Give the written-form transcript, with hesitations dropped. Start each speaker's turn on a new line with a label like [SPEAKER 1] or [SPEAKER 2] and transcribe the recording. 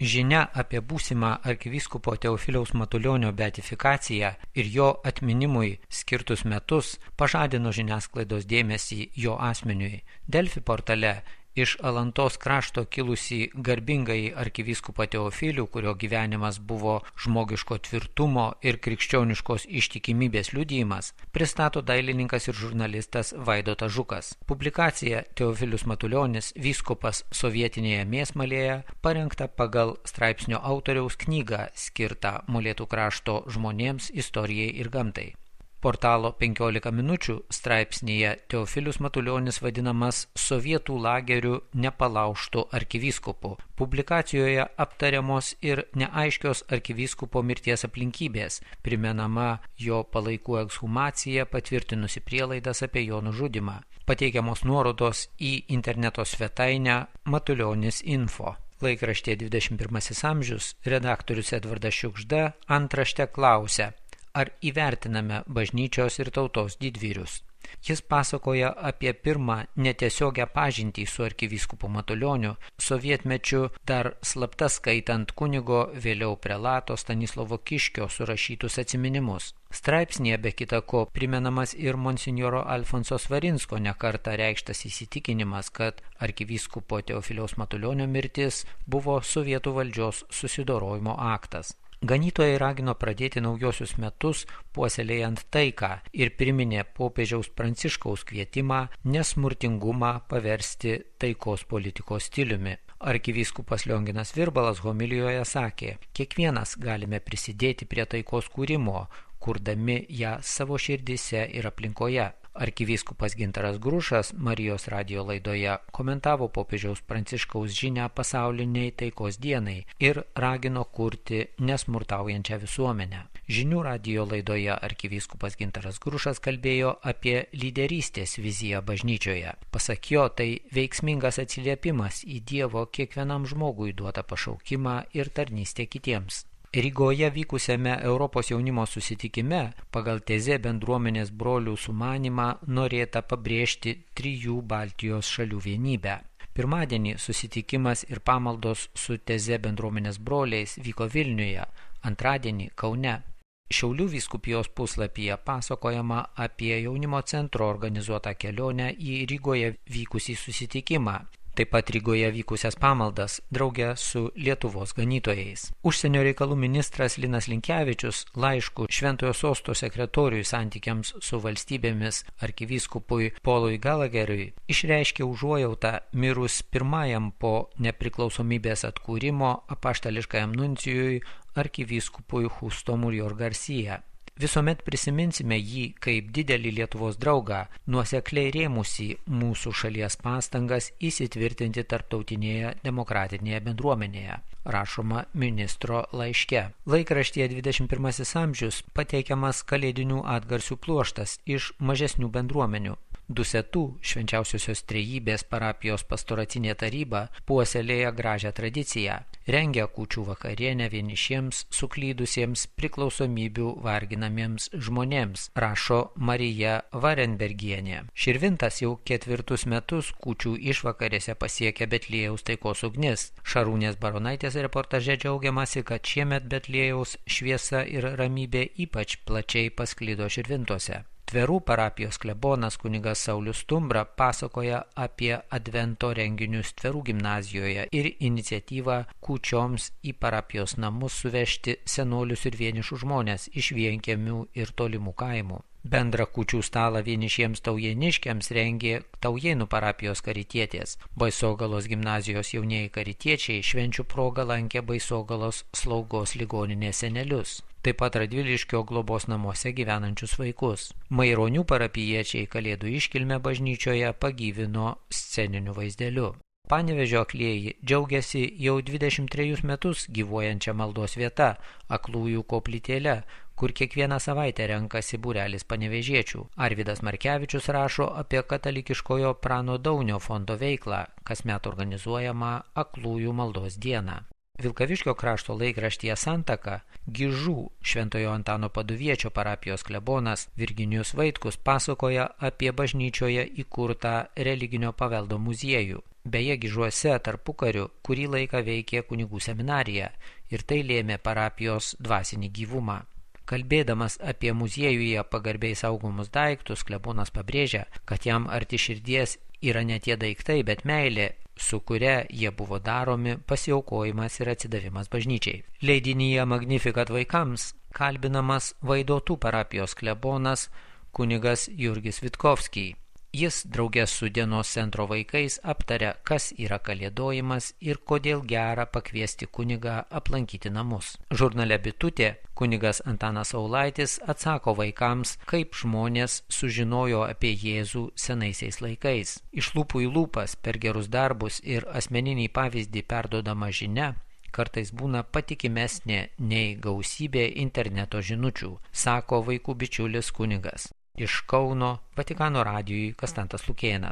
[SPEAKER 1] Žinia apie būsimą arkivyskupo Teofiliaus Matulionio beatifikaciją ir jo atminimui skirtus metus pažadino žiniasklaidos dėmesį jo asmeniui. Delfi portale iš Alantos krašto kilusį garbingąjį arkivyskupą Teofilių, kurio gyvenimas buvo žmogiško tvirtumo ir krikščioniškos ištikimybės liudijimas, pristato dailininkas ir žurnalistas Vaidotas Žukas. Publikacija Teofilius Matulionis, vyskupas sovietinėje Mėsmalėje, parengta pagal straipsnio autoriaus knygą skirtą Molėtų krašto žmonėms, istorijai ir gamtai. Portalo 15 minučių straipsnyje Teofilius Matulionis vadinamas sovietų lagerių nepalaužtų arkivyskupu. Publikacijoje aptariamos ir neaiškios arkivyskupo mirties aplinkybės, primenama jo palaikų ekshumacija patvirtinusi prielaidas apie jo nužudymą. Pateikiamos nuorodos į interneto svetainę Matulionis.info. Laikraštė 21 amžius redaktorius Edvardas Šiugžda antrašte klausia: ar įvertiname bažnyčios ir tautos didvyrius? Jis pasakoja apie pirmą netiesiogią pažintį su arkivyskupu Matulioniu, sovietmečiu dar slapta skaitant kunigo, vėliau prelato Stanislovo Kiškio surašytus atsiminimus. Straipsnėje be kita ko primenamas ir monsinjoro Alfonso Svarinsko nekartą reikštas įsitikinimas, kad arkivyskupo Teofiliaus Matulionio mirtis buvo sovietų valdžios susidorojimo aktas. Ganytojai ragino pradėti naujosius metus puoselėjant taiką ir priminė popiežiaus Pranciškaus kvietimą nesmurtingumą paversti taikos politikos stiliumi. Arkivyskupas Lionginas Virbalas homilijoje sakė: kiekvienas galime prisidėti prie taikos kūrimo, kurdami ją savo širdyse ir aplinkoje. Arkivyskupas Gintaras Grušas Marijos radijo laidoje komentavo popiežiaus Pranciškaus žinią pasauliniai taikos dienai ir ragino kurti nesmurtaujančią visuomenę. Žinių radijo laidoje arkivyskupas Gintaras Grušas kalbėjo apie lyderystės viziją bažnyčioje. Pasak jo, tai veiksmingas atsiliepimas į Dievo kiekvienam žmogui duotą pašaukimą ir tarnystę kitiems. Rygoje vykusiame Europos jaunimo susitikime pagal tezė bendruomenės brolių sumanymą norėta pabrėžti 3 Baltijos šalių vienybę. Pirmadienį susitikimas ir pamaldos su tezė bendruomenės broliais vyko Vilniuje, antradienį Kaune. Šiaulių vyskupijos puslapyje pasakojama apie jaunimo centro organizuotą kelionę į Rygoje vykusį susitikimą. Taip pat Rygoje vykusias pamaldas drauge su Lietuvos ganytojais. Užsienio reikalų ministras Linas Linkevičius laišku Šventojo sosto sekretoriui santykiams su valstybėmis arkivyskupui Paului Galageriui išreiškė užuojautą mirus pirmajam po nepriklausomybės atkūrimo apaštališkajam nuncijui arkivyskupui Justo Murior Garcia. Visuomet prisiminsime jį kaip didelį Lietuvos draugą, nuosekliai rėmusį mūsų šalies pastangas įsitvirtinti tarptautinėje demokratinėje bendruomenėje, rašoma ministro laiške. Laikraštyje 21 amžius pateikiamas kalėdinių atgarsių pluoštas iš mažesnių bendruomenių. Dusetų švenčiausiosios trejybės parapijos pastoracinė taryba puoselėja gražią tradiciją. Rengia kūčių vakarienę vienišiems, suklydusiems, priklausomybių varginamiems žmonėms, rašo Marija Varenbergienė. Širvintas jau 4 metus kūčių išvakarėse pasiekia Betliejaus taikos ugnis. Šarūnės Baronaitės reportaže džiaugiamasi, kad šiemet Betliejaus šviesa ir ramybė ypač plačiai pasklido Širvintuose. Tverų parapijos klebonas kunigas Saulius Stumbra pasakoja apie advento renginius Tverų gimnazijoje ir iniciatyvą kūčioms į parapijos namus suvežti senolius ir vienišus žmonės iš vienkiemių ir tolimų kaimų. Bendrą kūčių stalą vienišiems taujėniškiams rengė Taujėnų parapijos karitietės. Baisogalos gimnazijos jaunieji karitiečiai švenčių progą lankė Baisogalos slaugos ligoninės senelius. Taip pat Radviliškio globos namuose gyvenančius vaikus. Maironių parapijiečiai kalėdų iškilmę bažnyčioje pagyvino sceniniu vaizdeliu. Panevėžio aklieji džiaugiasi jau 23 metus gyvuojančią maldos vieta Aklųjų koplytėle, kur kiekvieną savaitę renkasi būrelis panevėžiečių. Arvydas Markevičius rašo apie katalikiškojo Prano Daunio fondo veiklą, kasmet organizuojama Aklųjų maldos dieną. Vilkaviškio krašto laikraštyje Santaka Gižų Šventojo Antano Paduviečio parapijos klebonas Virginijus Vaitkus pasakoja apie bažnyčioje įkurtą religinio paveldo muziejų. Beje, Gižuose tarpukariu kurį laiką veikė kunigų seminarija ir tai lėmė parapijos dvasinį gyvumą. Kalbėdamas apie muziejuje pagarbiai saugomus daiktus, klebonas pabrėžia, kad jam arti širdies yra ne tie daiktai, bet meilė, su kuria jie buvo daromi, pasiaukojimas ir atsidavimas bažnyčiai. Leidinyje Magnificat vaikams kalbinamas Vaidotų parapijos klebonas kunigas Jurgis Vitkovskij. Jis draugės su dienos centro vaikais aptaria, kas yra kalėdojimas ir kodėl gera pakviesti kunigą aplankyti namus. Žurnale Bitutė kunigas Antanas Saulaitis atsako vaikams, kaip žmonės sužinojo apie Jėzų senaisiais laikais. Iš lūpų į lūpas per gerus darbus ir asmeninį pavyzdį perdodama žinia kartais būna patikimesnė nei gausybė interneto žinučių, sako vaikų bičiulis kunigas. Iš Kauno Vatikano radijui Kastantas Lukėnas.